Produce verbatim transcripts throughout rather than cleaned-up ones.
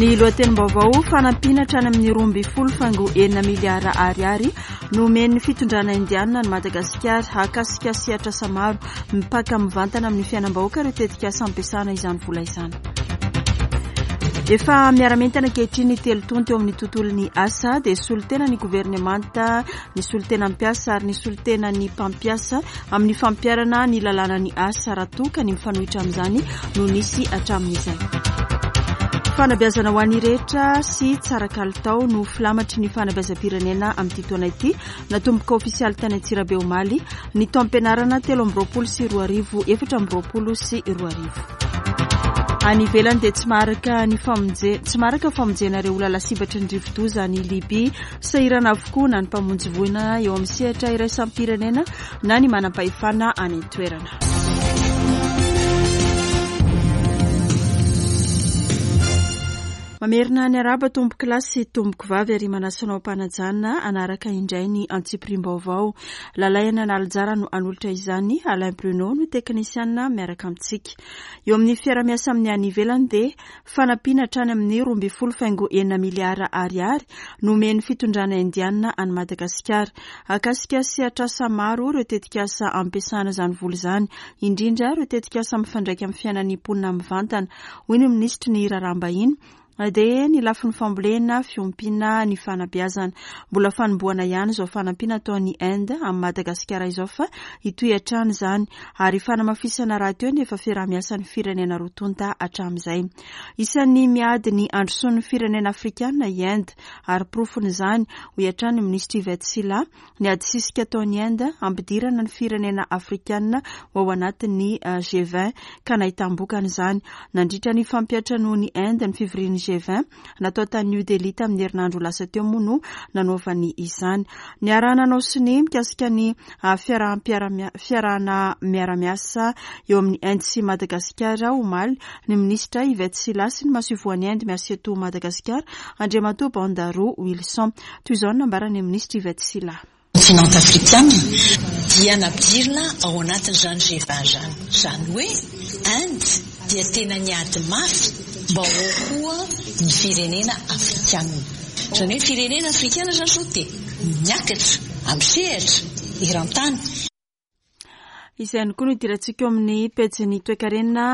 Ny lohatenim-baovao: fanampiana hatrany amin'ny roa ambin'ny folo faingo enina miliara ariary no omen'ny fitondrana indianina ny Madagasikara. Hahakasika sehatr'asa maro mipaka mivantana amin'ny fiainam-bahoaka ireo tetikasa ampiasana izany vola izany. Efa miara-mientana ankehitriny telo tonta eo amin'ny tontolon'ny asa, dia solontena ny governemanta, ny solontena mpiasa ary ny solontena ny mpampiasa amin'ny fampiharana ny lalàna ny asa, raha toa ka ny mifanohitra amin'izany no nisy hatramin'izay. Fanabeazana ho an'ny rehetra sy tsara kalitao no filamatry ny fanabeazam-pirenena amin'ity taona ity. Natomboka ofisialy tany Antsirabe omaly ny taom-pianarana telo amby roapolo sy roa arivo efatra amby roapolo sy roa arivo. Any ivelany dia tsy maharaka ny famonje tsy maharaka famonjena ireo olona lasibatry ny rivodoza any Libia. Sahirana avokoa na ny mpamonjy voina eo amin'ny sehatra iraisam-pirenena na ny manam-pahefana any an-toerana. Mamerina ny araba tompoko lahy sy tompoko vavy ary manasa anao am-panajana hanaraka indray ny antsipiriam-baovao. Lalaina Analanjara no hanolotra izany, Alain Bruno no teknisiana miaraka amintsika. Eo amin'ny fiarahamiasa amin'ny any ivelany dia fanampiana hatrany amin'ny roa ambin'ny folo faingo enina miliara ariary no omen'ny fitondrana indianina any Madagasikara. Hahakasika sehatr'asa maro ireo tetikasa ampiasana izany vola izany, indrindra ireo tetikasa mifandraika amin'ny fiainan'ny mponina mivantana, hoy ny minisitry ny raharaham-bahiny. Dia ny lafiny fambolena, fiompiana, ny fanabeazana. Mbola fanombohana ihany izao fanampiana ataon'ny Inde amin'ny Madagasikara izao fa hitohy hatrany izany ary fanamafisana rahateo ny efa fiaraha-miasan'ny firenena roa tonta hatramin'izay. Isan'ny miady ny handrosoan'ny firenena afrikana i Inde ary porofon'izany, hoy hatrany ny minisitry Yvette Sylla, ny ady sisika ataon'i Inde hampidirana ny firenena afrikana ho ao anatin'ny G vingt ka nahitam-bokany izany. Nandritra ny fampiantranoan'i Inde ny fivorian'ny G vingt natao tany New Delhi tamin'ny herinandro lasa teo moa no nanaovany izany. Niaraha-nanao sonia mikasika ny fiarahana miara-miasa eo amin'ny Inde sy Madagasikara omaly ny minisitra Yvette Sylla sy ny masoivohon'i Inde miasa eto Madagasikara Andriamatoa Bandaroa Wilson. Toy izao no nambaran'ny minisitra Yvette Sylla. Continent afrikana dia nampidirina ao anatin'izany G vingt izany. Izany hoe Inde dia tena niady mafy mba ho ao koa ny firenena afrikana. Izany hoe firenena afrikana izany izao dia miakatra amin'ny sehatra eran-tany. Izay ihany koa no idirantsika eo amin'ny pejin'ny toekarena.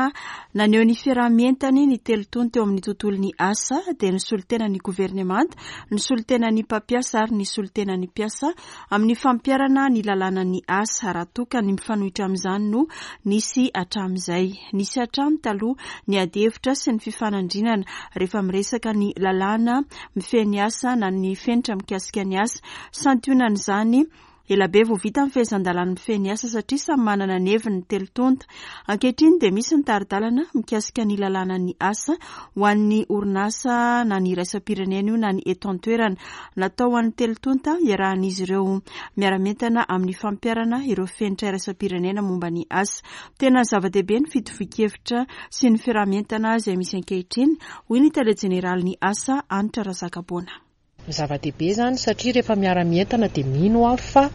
Naneho ny fiaraha-mientany ny telo tonta teo amin'ny tontolon'ny asa, dia ny solontenan'ny governemanta, ny solontenan'ny mpampiasa ary ny solontenan'ny mpiasa amin'ny fampiharana ny lalànan'ny asa, raha toa ka ny mifanohitra amin'izany no nisy hatramin'izay. Nisy hatrany taloha ny adihevitra sy ny fifanandrinana rehefa miresaka ny lalàna mifehy ny asa na ny fenitra mikasika ny asa. Santionan'izany, ela be vao vita ny fehezan-dalàna mifehy ny asa satria samy manana ny heviny ny telo tonta. Ankehitriny dia misy ny tari-dalana mikasika ny lalànan'ny asa ho an'ny orinasa na ny iraisam-pirenena io na ny eto an-toerana. Natao ho an'ny telo tonta iarahan'izy ireo miara-mientana amin'ny fampiharana ireo fenitra iraisam-pirenena momba ny asa. Tena zava-dehibe ny fitovian-kevitra sy ny fiaraha-mientana izay misy ankehitriny, hoy ny tale jeneralin'ny asa Hanitra Razakaboana. Zava-dehibe izany satria rehefa miara-mientana dia mino aho fa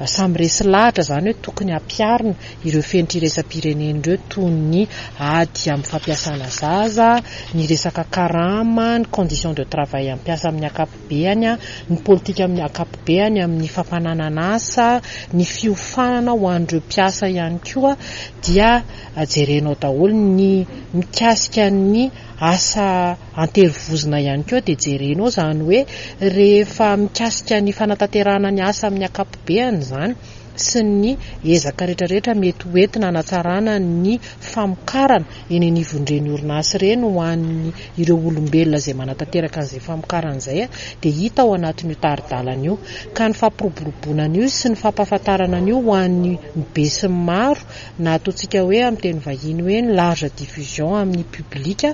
samy resy lahatra izany hoe tokony hampiharina ireo fenitra iraisam-pirenena ireo toy ny ady amin'ny fampiasana zaza, ny resaka karama, ny condition de travail ampiasa amin'ny ankapobeany, ny politika amin'ny ankapobeany amin'ny fampananana asa, ny fiofanana ho an'ireo mpiasa ihany koa dia jerenao daholo ny mikasika ny asa anterivozona ihany koa dia jerenao izany hoe rehefa mikasika ny fanatanterahana ny asa amin'ny ankapobeany izany sy ny ezaka rehetrarehetra mety ho entina hanatsarana ny famokarana eny anivon'ireny orinasa ireny ho an'ny ireo olombelona izay manatanteraka an'izay famokarana izay dia hita ao anatin'io tari-dalana io. Ka ny fampiroboroboana an'io sy ny fampahafantarana an'io ho an'ny be sy ny maro na ataontsika hoe amin'ny teny vahiny hoe ny large diffusion amin'ny public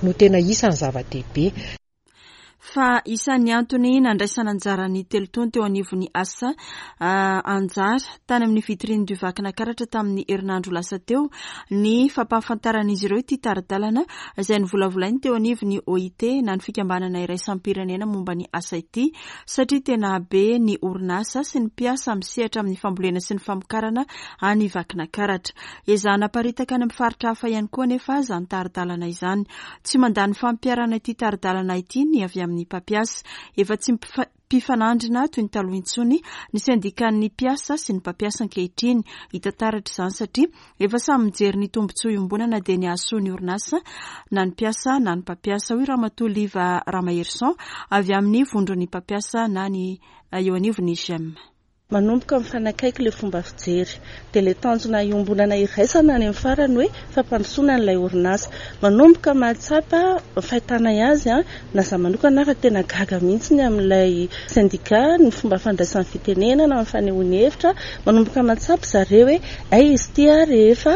no tena isan'ny zava-dehibe. Fa isan'ny antony nandraisana anjara ny telo taona teo anivon'ny asa anjara tany amin'ny vitrine du Vakinankaratra tamin'ny herinandro lasa teo ny fampahafantaran'izy ireo ity tari-dalana izay novolavolainy teo anivon'ny O I T na ny fikambanana iraisam-pirenena momba ny asa ity, satria tena be ny orinasa sy ny mpiasa misehatra amin'ny fambolena sy ny famokarana any Vakinankaratra. Ezahana aparitaka any amin'ny faritra hafa ihany koa nefa izany tari-dalana izany. Tsy mandany fampiharana ity tari-dalana ity ny avy amin'ny mpampiasa. Efa tsy mpifanandrina toy ny taloha intsony ny sendikan'ny mpiasa sy ny mpampiasa ankehitriny. Hita taratra izany satria efa samy mijery ny tombontsoa iombonana, dia ny hahasoa ny orinasa na ny mpiasa na ny mpampiasa, hoy Ramatoa Liva Ramaherison avy amin'ny vondron'ny mpampiasa na ny eo anivon'ny G E M. Manomboka mifanakaiky le fomba fijery, dia le tanjona iombonana iraisana any amin'ny farany hoe fampandrosoana n'ilay orinasa. Manomboka mahatsapa fahitana azy a na za manokana raha tena gaga mihitsy ny amin'ilay syndicat, ny fomba fandraisan'ny fitenenana amin'ny fanehoany hevitra. Manomboka mahatsapa zareo hoe ay izy ity a rehefa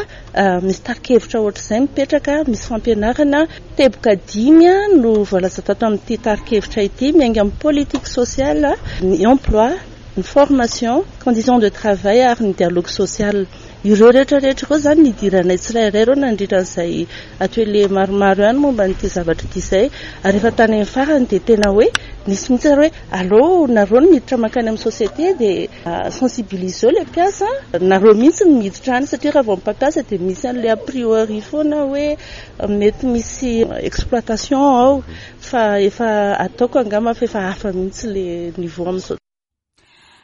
misy tari-kevitra ohatr'izay mipetraka, misy fampianarana. Teboka dimy a no voalaza tato amin'ity tari-kevitra ity, miainga amin'ny politique sociale, ny emploi, ny formation, condition de travail ary ny dialogue social. Ireo rehetrarehetra ireo zany nidiranay tsirairay ireo nandritra an'izay atelier maromaro ihany momba n'ity zavatra ity izay. Ary efa tany amin'ny farany dia tena hoe nisy mihitsy ary hoe aleo nareo no miditra mankany amin'ny société, dia sensibiliser le mpiasa nareo mihitsy no miditra any, satria raha vao mpampiasa dia misy an'le a priori foana hoe mety misy exploitation ao, fa efa ataoko angamba fa efa hafa mihitsy le niveau amin'izao.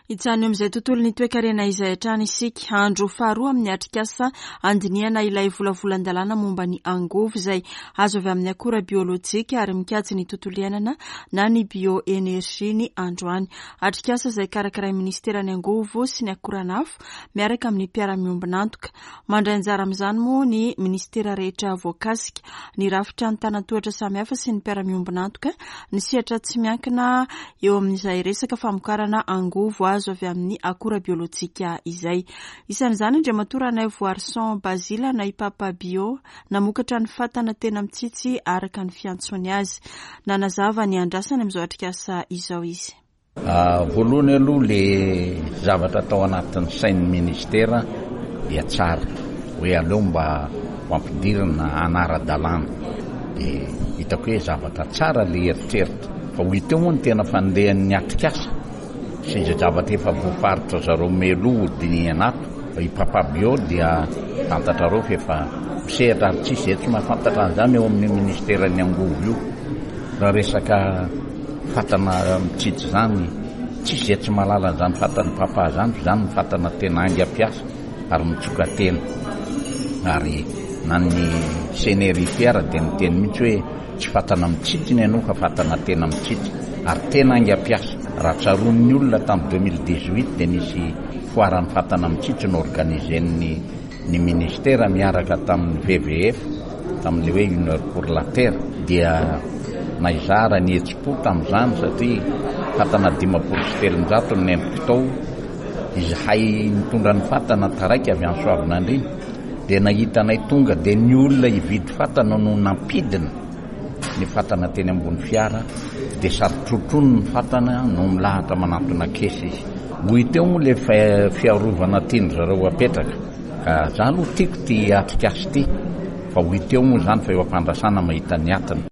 Hijanona eo amin'izay tontolo ny toekarena izay hatrany isika. Andro faharoa amin'ny atrikasa andinihana ilay volavolan-dalàna momba ny angovo izay azo avy amin'ny akora biolojika ary mikajy ny tontolo iainana na ny bioénergie ny androany. Atrikasa izay karakaray ministeran'ny angovo sy ny akoranafo miaraka amin'ny mpiara-miombonantoka. Mandray anjara amin'izany moa ny ministera rehetra voakasika, ny rafitra ny tanan-tohatra samihafa sy ny mpiara-miombonantoka, ny sehatra tsy miankina eo amin'izay resaka famokarana angovo azo avy amin'ny akora biolojika izay. Isan'izany Andriamatoa Ranaivoarison Bazila na i Papa Bio, namokatra ny fatana tena mitsitsy araka ny fiantsony azy. Nanazava ny andrasany amin'izao atrikasa izao izy. Voalohany aloha, le zavatra atao anatin'ny sain'ny ministera dia tsara hoe aleo mba ho ampidirina anara-dalàna, dia hitako hoe zavatra tsara le eritreritra. Fa ho hita eo moa ny tena fandehan'ny atrikasa sy izay zavatra efa voafaritra zareo meloha dinihana ato. I Papa Bio dia fantatrareo fa efa misehatra ary tsisy zay tsy mahafantatra an'izany eo amin'ny ministeran'ny angovo io. Raha resaka fatana mitsitsy zany, tsisy zay tsy mahalala an'izany fatany papa zany, fa zany ny fatana tena aingam-piasa ary mitsoka tena. Ary na ny C N R I P R dia niteny mihitsy hoe tsy fatana mitsitsy ny anao fa fatana tena mitsitsy ary tena aingam-piasa. Raha tsaroan'ny olona, tamin'ny deux mille dix-huit dia nisy foire ny fatana mitsitsy no organisen'ny ny ministera miaraka tamin'ny W W F tamin'le hoe Une heure pour la terre, dia naizara ny hetsi-po tamin'izany satria fatana dimapolo sy telonjato ny nentiko tao. Izahay nitondra ny fatana taraiky avy any Soavinandriana dia nahitanay tonga dia ny olona hividy fatana no nampidina ny fatana teny ambony fiara, dia sarotrotrony ny fatana no milahatra manantona caisse izy. Ho hita eo moa le fiarovana tiany zareo apetraka, ka za aloha tiako ty atrikasy ty, fa ho hita eo moa zany, fa eo ampandrasana mahita ny atiny.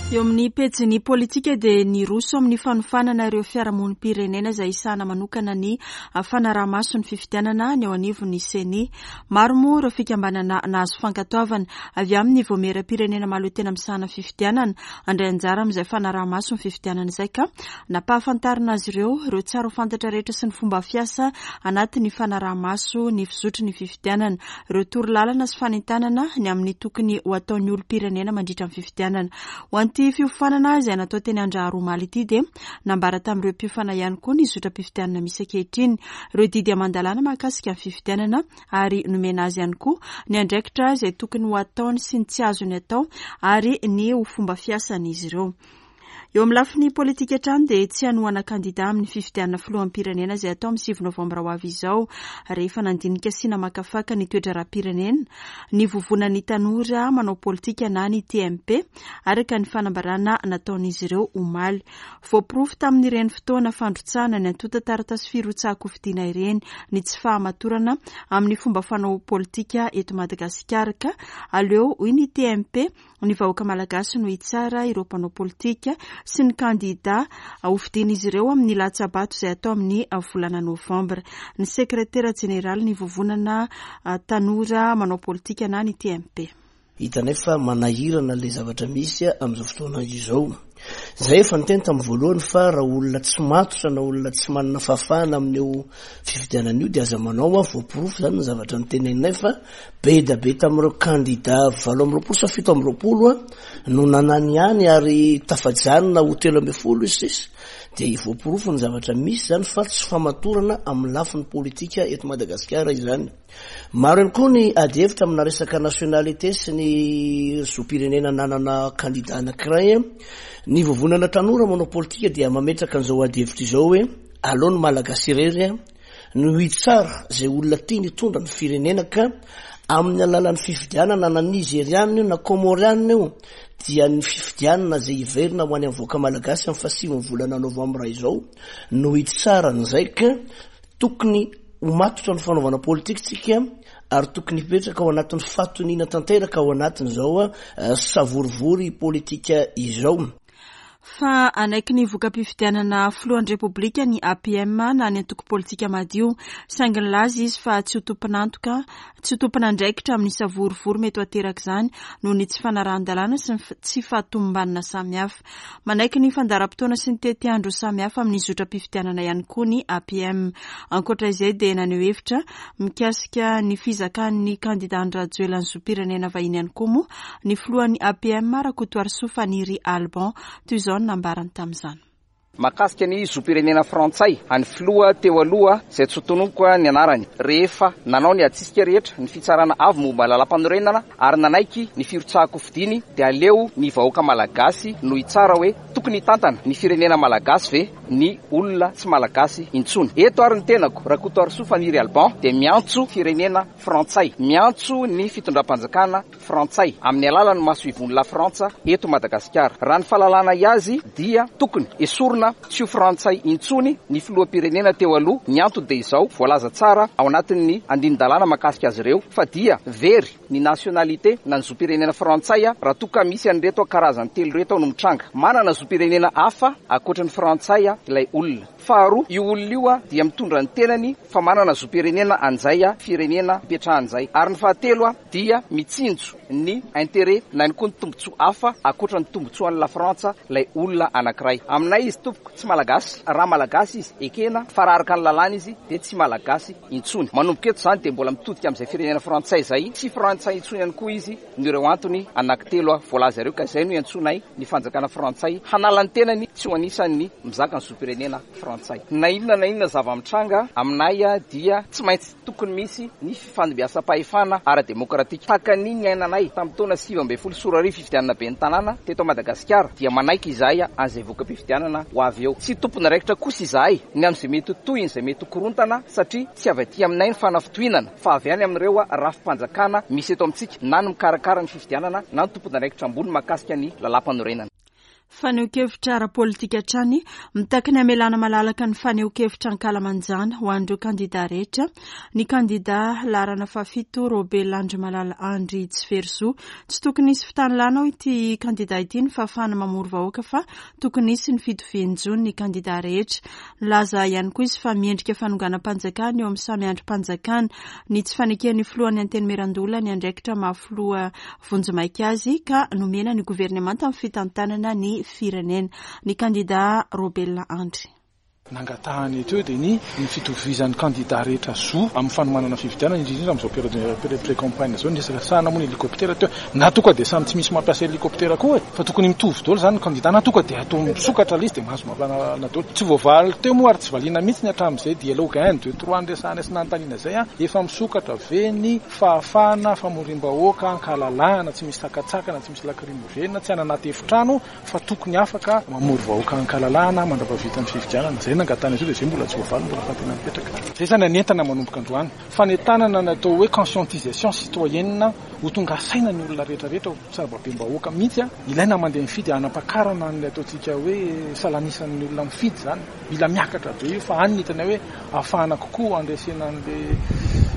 Eo amin'ny pejin'ny politika dia niroso amin'ny fanofanana ireo fiarahamonim-pirenena izay isana manokana ny fanaraha-maso ny fifidianana ny eo anivon'ny CENI. Maro moa ireo fikambanana nahazo fankatoavana avy amin'ny vaomieram-pirenena mahaleo tena misahana fifidianana andray anjara amin'izay fanaraha-maso ny fifidianana izay, ka nampahafantarina azy ireo ireo tsara ho fantatra rehetra sy ny fomba fiasa anatin'ny fanaraha-maso ny fizotry ny fifidianana, ireo toro lalana sy fanentanana ny amin'ny tokony ho ataon'ny olom-pirenena mandritra ny fifidianana. Ho an'ity fiofanana izay natao teny Andraharo omaly ity dia nambara tamin'ireo mpiofana ihany koa ny zotram-pifidianana misy ankehitriny, ireo didy aman-dalàna mahakasika ny fifidianana, ary nomena azy ihany koa ny andraikitra izay tokony ho ataony sy ny tsy azony atao ary ny ho fomba fiasan'izy ireo. Eo amin'ny lafiny politika hatrany dia tsy hanohana kandida amin'ny fifidianana filoham-pirenena izay atao amin'ny sivy novambra ho avy izao, rehefa nandinika sy namakafaka ny toe-draharaham-pirenena ny vovonan'ny tanora manao politika na ny T M P, araka ny fanambarana nataon'izy ireo omaly. Voaporofo tamin'ireny fotoana fandrotsahana ny antontan-taratasy firotsahan-kofidina ireny ny tsy fahamatorana amin'ny fomba fanao politika eto Madagasikara, ka aleo, hoy ny T M P, ny vahoaka malagasy no hitsara ireo mpanao politika sy ny kandida hofidian'izy ireo amin'ny latsabato izay atao amin'ny volana novambra. Ny sekretera jeneraly ny vovonana tanora manao politika na ny T M P. Hitanay fa manahirana le zavatra misy amin'izao fotoana izao. Zay efa niteny tamin'ny voalohany fa raha olona tsy matotra na olona tsy manana fahafahana amin'io fifidianana io, de aza manao. A voaporofo zany ny zavatra nyteneninay fa be da be tamin'ireo kandida valo amby roapolo sa fito amby roapolo a no nanany ihany, ary tafajanona ho telo amby folo izy sisy. De voaporofo ny zavatra misy zany fa tsy famatorana amin'ny lafiny politika eto Madagasikara izany. Maro ihany koa ny ady hevitra amina resaka nationalité sy ny zom-pirenena nanana kandida anankiray. Ny vovonana tanora manao politika dia mametraka an'izao ady hevitra izao hoe aleo ny Malagasy irery a no hitsara zay olona tia nitondra ny firenena, ka amin'ny alalan'ny fifidianana, na nizerianina io na komorianina io, dia ny fifidianana zay hiverina ho any amin'ny vahoaka malagasy amin'ny fahasivy ny volana novambra izao no hitsaranyzay. Ka tokony ho matotra ny fanaovana politika tsika, ary tokony hipetraka ao anatin'ny fahatoniana tanteraka ao anatin'izao a savorivory politika izao. Fa anaiky ny voka-pifidianana filohan'ny Repoblika ny A P M na ny antoko politika madio, saingy nilaza izy fa tsy ho tompon'antoka, tsy ho tompon'andraikitra amin'ny savorivory mety ho ateraka izany noho ny tsy fanarahan-dalàna sy ny tsy fahatomombanana samihafa. Manaiky ny fandaharam-potoana sy ny tetiandro samihafa amin'ny zotram-pifidianana ihany koa ny A P M. Ankoatra izay dia naneho hevitra mikasika ny fizakan'ny kandida Andry Rajoelina ny zom-pirenena vahiny ihany koa moa ny filohan'ny A P M, Rakotoarisoa Faniry Alban. Toy izao ny nambarany tamin'izany. Mahakasika ny zom-pirenena frantsay any filoha teo aloha izay tsy tononiko ny anarany, rehefa nanao ny atsisika rehetra ny fitsarana avy momba lalam-panorenana ary nanaiky ny firotsahako fidiny, dia aleo ny vahoaka malagasy no hitsara hoe tokony hitantana ny firenena malagasy ve ny olona tsy malagasy intsony eto. Ary ny tenako, Rakotoarisoa Faniry Alban, dia miantso firenena frantsay, miantso ny fitondram-panjakana frantsay amin'ny alalan'ny masoivohon'i La Frantsa eto Madagasikara. Raha ny fahalalana azy dia tokony esorina tsy ho frantsay intsony ny filoham-pirenena teo aloha. Ny antony dia izao voalaza tsara ao anatin'ny andinin-dalàna mahakasika azy ireo, fa dia very ny nationalité na ny zom-pirenena frantsay a raha toka misy an'ireto karazany telo reto no mitranga: manana zom-pirenena hafa ankoatra ny frantsay a ilay olona; faharoa, io olona io a dia mitondra ny tenany fa manana zom-pirenena an'izay a firenena ipetrahan'izay; ary ny fahatelo a dia mitsinjo ny intérêt na ny koa ny tombontsoa hafa ankoatra ny tombontsoan'ny La Frantsa ilay olona anankiray. Aminay izy, tompoko, tsy malagasy. Raha malagasy izy ekena, fa raha araka ny lalàna izy dia tsy malagasy intsony. Manomboka eto zany dia mbola mitodika amin'izay firenena frantsay zay, tsy frantsay intsony ihany koa izy no ireo antony anankitelo a voalaza ireo. Ka izay no iantsoanay ny fanjakana frantsay hanala ny tenany tsy ho anisan'ny mizaka ny zom-pirenena frantsay. Na inona na inona zava-mitranga, aminay a dia tsy maintsy tokony misy ny fifandimbiasam-pahefana ara-demokratika tahaka ny niainanay tamin'ny taona sivy ambe folo sy roa arivo, fifidianana be ny tanàna teto Madagasikara. Dia manaiky izahay an'izay voka-pifidianana ho avy eo. Tsy tompon'andraikitra kosa izahay ny amin'izay mety ho tohiny, izay mety ho korontana, satria tsy avy aty aminay ny fanafitohinana fa avy any amin'ireo rafi-panjakana misy eto amintsika, na ny mikarakara ny fifidianana na ny tompon'andraikitra ambony mahakasika ny lalam-panorenana. Fanehoan-kevitra ara-politika hatrany. Mitaky ny amelana malalaka ny fanehoan-kevitra ankalamanjana ho an'ireo kandida rehetra ny kandida laharana fahafito, Robel Andrimalala Andry Tsiverizo. Tsy tokony hisy fitanilana ao ity kandida ity ny fahafahana mamory vahoaka, fa tokony hisy ny fitovian-jo ny kandida rehetra. Nilaza ihany koa izy fa miendrika fanonganam-panjakana eo amin'ny samy andrim-panjakana ny tsy faneken'ny filohan'ny Antenimierandoholona ny andraikitra mahafiloha vonjimaika azy, ka nomena ny governemanta amin'ny fitantanana ny firenena. Ny kandida Robel Andry. Nangatahany teo dia ny ny fitovizan'ny kandida rehetra zo amin'ny fanomanana fifidianana, indrindra amin'izao période pré-campagne izao. Ny resaka sahana moa ny hélicoptère teo, na tonga dia samy tsy misy mampiasa hélicoptère koa e, fa tokony mitovy daholo izany ny kandida, na tonga dia atao misokatra ilay izy dia mahazo mampianana daholo. Tsy voavaly teo moa ary tsy valiana mihitsy ny hatramin'izay dialogue un deux trois niresahana sy nanontaniana izay a, efa misokatra ve ny fahafahana famorim-bahoaka ankalalahana, tsy misy sakatsakana, tsy misy lacrymogène, tsy any anaty efitrano, fa tokony afaka mamory vahoaka ankalalahana mandra-pahavita ny fifidianana. Izay nangatahana izy io dia izay mbola tsy voavaly, mbola fantena mipetraka. Izay izany anentana manomboka androany. Fanentanana natao hoe conscientisation citoyenne, ho tonga saina ny olona rehetrarehetra, ho sarababem-bahoaka mihitsy a. Ilaina mandeha mifidy hanampakarana ny ataontsika hoe salanisan'ny olona mifidy izany. Mila miakatra be io fa any ny hitanay hoe ahafahana kokoa handresena an'le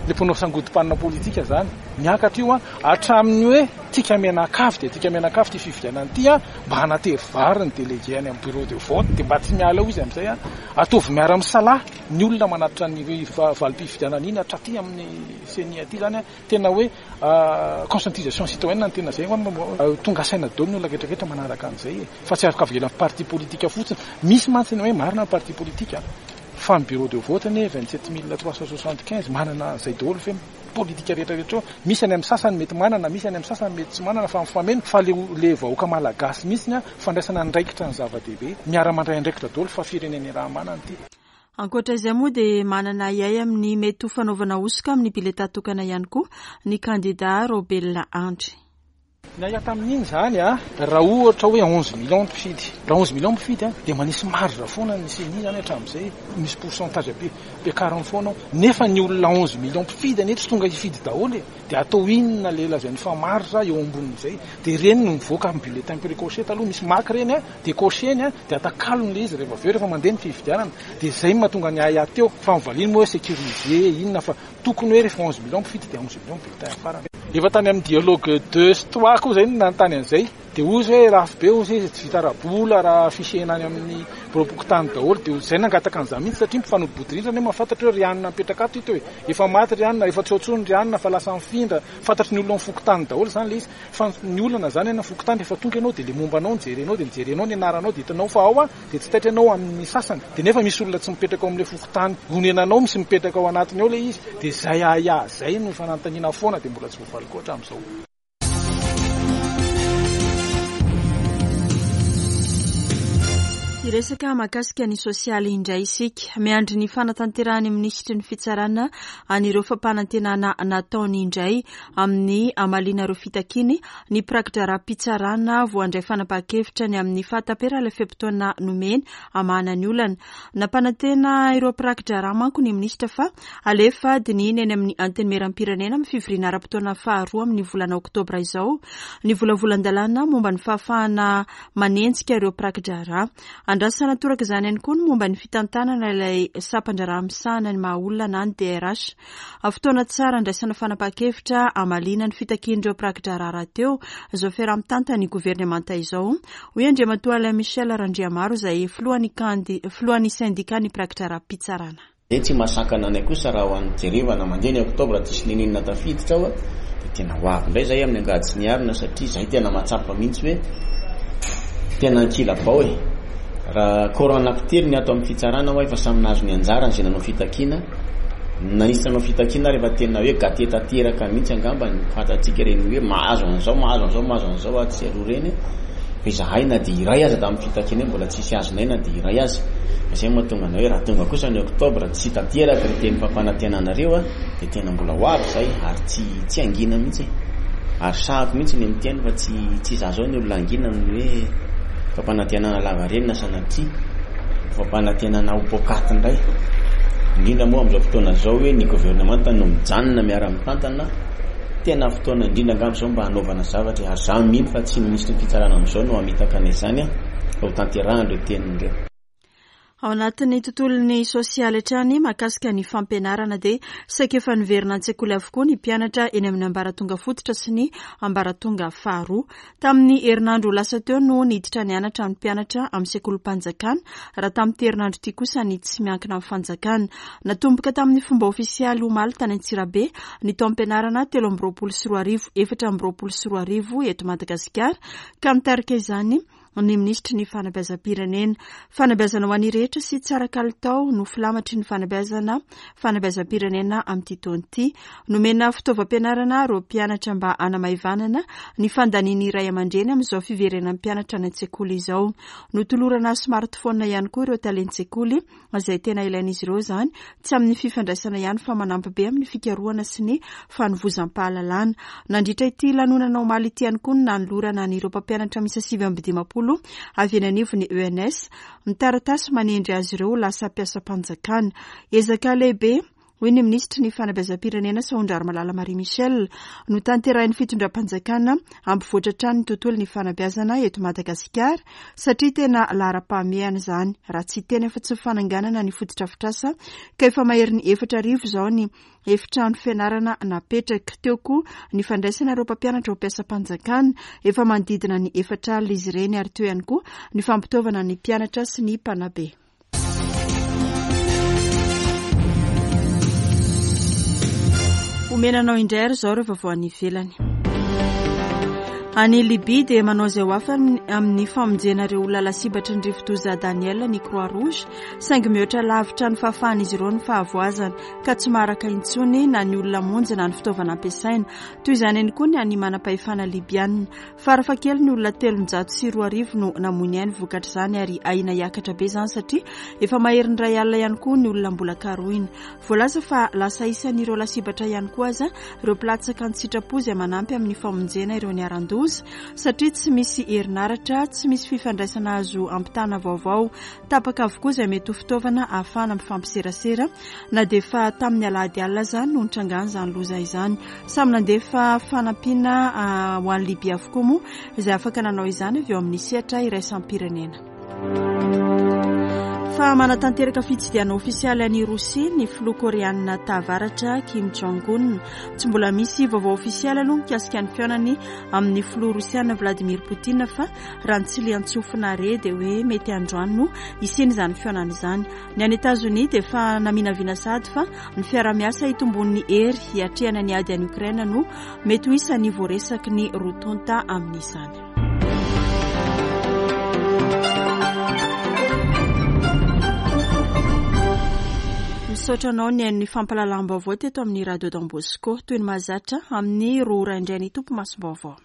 le mpanao sangodim-panina politika izany. Miakatra io a, hatramin'ny hoe tika mianakavy dia tika mianakavy ity fifidianana ity a, mba hanatery vary ny délégué any amin'ny bureau de vote dia mba tsy miala eo izy amin'izay a. Ataovy miara-misalahy ny olona manatitra ny valim-pifidianana iny hatraty amin'ny CENI aty izany a. Tena hoe conscientisation citoyenne ny tena izay, tonga saina daholo ny olona rehetrarehetra manaraka an'izay e, fa tsy afaka avela amin'ny parti politique fotsiny. Misy mantsy ny hoe marina ny parti politique fa ny bureau de vote anie vingt-sept mille trois cent soixante-quinze manana izay daholo fe politika rehetrarehetra eo. Misy any amin'ny sasany mety manana, misy any amin'ny sasany mety tsy manana, fa mifameno. Fa le, le vahoaka malagasy mihitsy a, fandraisana andraikitra ny zava-dehibe, miara-mandray andraikitra daholo fa firenena raha manana ity. Ankoatra izay moa dia manana ahiahy amin'ny mety ho fanaovana hosoka amin'ny bileta tokana ihany koa ny kandida Raobelina Andry. Ny ahiahy tamin'iny izany a, raha ohatra hoe onze millions mpifidy, raha onze millions mpifidy a, dia manisy marge foana ny CENI izany hatramin'izay, misy pourcentage be ampiakariny foana ao, nefa ny olona onze millions mpifidy anie tsy tonga hifidy daholo e, dia atao inona le lazainy fa marge eo ambonin'izay, dia ireny no mivoaka amin'ny bulletin précoché taloha, misy maka ireny a, dia coché-ny a, dia atakalony le izy rehefa avy eo rehefa mandeha ny fifidianana, dia izay no mahatonga ny ahiahy teo, fa mivaliany moa hoe sécurisé inona, fa tokony hoe rehefa onze millions mpifidy dia onze millions bulletin farany. Efa tany amin'ny dialogue deux sy trois koa izay no nanontany an'izay, dia hoy izy hoe lafo be hoy izy, tsy vita ara-bola raha affichena any amin'ny biraom-pokontany daholo, dia izay nangataka an'izany mihitsy satria mpifanolo-bodirindrina anie mahafantatra hoe ry anona mipetraka ato ito e, efa maty ry anona, efa tsy ao intsony ry anona fa lasa mifindra, fantatry ny olona amin'ny fokontany daholo izany ilay izy, fa ny olana izany any amin'ny fokontany rehefa tonga ianao dia le momba anao no jerenao, dia mijerenao ny anaranao dia hitanao fa ao a, dia tsy taitra ianao amin'ny sasany, dia nefa misy olona tsy mipetraka ao amin'ilay fokontany onenanao, misy mipetraka ao anatiny ao ilay izy, dia izay ahiahy izay no fananontaniana foana dia mbola tsy voavaly koa hatramin'izao. Hiresaka mahakasika ny sosialy indray isika. Miandry ny fanatanterahan'ny minisitry ny fitsarana an'ireo fampanantenana nataony indray amin'ny hamaliana ireo fitakiany ny mpirakidraharaha-pitsarana voandray fanapahan-kevitra ny amin'ny fahataperan'ilay fe-potoana nomeny hamahana ny olana. Nampanantena ireo mpirakidraharaha manko ny minisitra fa alefa dinihina eny amin'ny antenimieram-pirenena amin'ny fivoriana ara-potoana faharoa amin'ny volana oktobra izao ny volavolan-dalàna momba ny fahafahana manenjika ireo mpirakidraharaha. Andrasana toraka izany ihany koa ny momba ny fitantanana ilay sampan-draharaha misahana ny maha olona na ny D R H. Fotoana tsara andraisana fanapahan-kevitra hamaliana ny fitakian'ireo mpirakidraharaha rahateo izao fiaraha-mitantana ny governemanta izao, hoy Andriamatoa Alain Michel Randriamaro izay filohan'ny kandi-, filohan'ny syndicat ny mpirakidraharaham-pitsarana. Dia tsy mahasakana anay kosa raha ho an'ny jerevana mandeha ny oktobra tsisy ninina tafiditra ao a, dia tena ho avy indray izay amin'ny angady sy ny arina satria izay tena mahatsapa mihitsy hoe tena ankilabao e. Raha corps anankitelo ny ato amin'ny fitsarana hoa efa samy nahazo ny anjarany izay nanao fitakiana, nanisy nanao fitakiana rehefa tena hoe gâté tanteraka mihitsy angamba ny fantatsika ireny hoe mahazo an'izao, mahazo an'izao, mahazo an'izao atsy sy aroa ireny. Fa izahay na dia iray aza tamin'ny fitakiana mbola tsisy azonay na dia iray aza. Izay mahatonga anay hoe raha tonga kosa ny oktobra tsy tanteraka ry teny fampanantenanareo a, dia tena mbola ho avy izay ary tsy, tsy hangina mihitsy. Ary sahako mihitsy ny miteny fa tsy, tsy izaho izao ny olona hangina amin'ny hoe fampanantenana lavareny na sanatria fampanantenana ho poakaty indray. Indrindra moa amin'izao fotoana izao hoe ny governemanta no mijanona miara-mitantana, tena fotoana indrindra angamba izao mba hanaovana zavatra. Ary izaho mino fa tsy ny minisitry ny fitsarana amin'izao no hamitaka anay izany a, fa ho tanterahana ireo teniny ireo. Ao anatin'ny tontolon'ny sosialy hatrany mahakasika ny fampianarana dia saika efa niverina an-tsekoly avokoa ny mpianatra eny amin'ny ambaratonga fototra sy ny ambaratonga faharoa. Tamin'ny herinandro lasa teo no niditra nianatra ny mpianatra amin'ny sekolim-panjakana, raha tamin'ity herinandro ity kosa ny tsy miankina amin'ny fanjakana. Natomboka tamin'ny fomba ofisialy omaly tany Antsirabe ny taom-pianarana telo amby roapolo sy roa arivo, efatra amby roapolo sy roa arivo eto Madagasikara, ka nitarika izany ny minisitry ny fanabeazam-pirenena. Fanabeazana ho an'ny rehetra sy tsara kalitao no filamatry ny fanabeazana fanabeazam-pirenena amin'ity taona ity. Nomena fitaovam-pianarana ireo mpianatra mba hanamaivanana ny fandanian'ny ray aman-dreny amin'izao fiverenan'ny mpianatra any an-tsekoly izao. Notolorana smartphone ihany koa ireo talen-tsekoly izay tena ilain'izy ireo izany, tsy amin'ny fifandraisana ihany fa manampy be amin'ny fikarohana sy ny fanovozam-pahalalana. Nandritra ity lanonana omaly ity ihany koa no nanolorana an'ireo mpampianatra miisa sivy amby dimampolo avy eny anivon'ny E N S ny taratasy manendry azy ireo ho lasa mpiasam-panjakana. Ezaka lehibe, hoy ny minisitry ny fanabeazam-pirenena Sahondrarimalala Marie Michel, no tanterahin'ny fitondram-panjakana hampivoatra hatrany ny tontolo ny fanabeazana eto Madagasikara, satria tena laharam-pahamehana izany, raha tsy tena efa tsy fananganana ny fotodrafitrasa ka efa maherin'ny efatra arivo izao ny efitrano fianarana napetraka. Teo koa ny fandraisana ireo mpampianatra ho mpiasam-panjakana, efa manodidina ny efatra alina izy ireny, ary teo ihany koa ny fampitaovana ny mpianatra sy ny mpanabe. Omena anao indray ary izao ireo vaovao any ivelany. Any Libia dia manao izay ho afany amin'ny famonjena ireo olona lasibatry ny rivodoza Daniel ny Croix Rouge, saingy mihoatra lavitra ny fahafahan'izy ireo ny fahavoazana ka tsy maharaka intsony na ny olona monjy na ny fitaovana ampiasaina. Toy izany ihany koa ny any manam-pahefana libiana. Farafahakeliny ny olona telonjato sy roa arivo no namoy ny ainy vokatr'izany, ary ahiana hiakatra be izany satria efa maherin'ny iray alina ihany koa ny olona mbola karohina. Voalaza fa lasa isan'ireo lasibatra ihany koa aza ireo mpilatsaka an-tsitrapo izay manampy amin'ny famonjena ireo niharan-doza, satria tsy misy herinaratra, tsy misy fifandraisana azo ampitana vaovao. Tapaka avokoa izay mety ho fitaovana ahafahana mifampiserasera, na dia efa tamin'ny alahady alina aza no nitrangan'izany loza izany. Samy nandefa fanampiana ho an'i Libia avokoa moa izay afaka nanao izany avy eo amin'ny sehatra iraisam-pirenena. Fa manatanteraka fitsidihana ofisialy any Rosia ny filoha koreanina tavaratra Kim Jong-un. Tsy mbola misy vaovao ofisialy aloha mikasika ny fihaonany amin'ny filoha rosiana Vladimir Poutine, fa raha ny tsiliantsofina re dia hoe mety androany no hisiany izany fihaonana izany. Ny any Etazonia dia efa naminavina sady fa ny fiarahamiasa hitombon'ny hery hiatrehana ny ady any Ukraine no mety ho isan'ny voaresaky ny roa tonta amin'izany. Misaotra anao ny hain'ny fampahalalam-baovao teto amin'ny Radio Don Bosco. Toy ny mahazatra amin'ny roa ora indray ny tompo masom-baovao.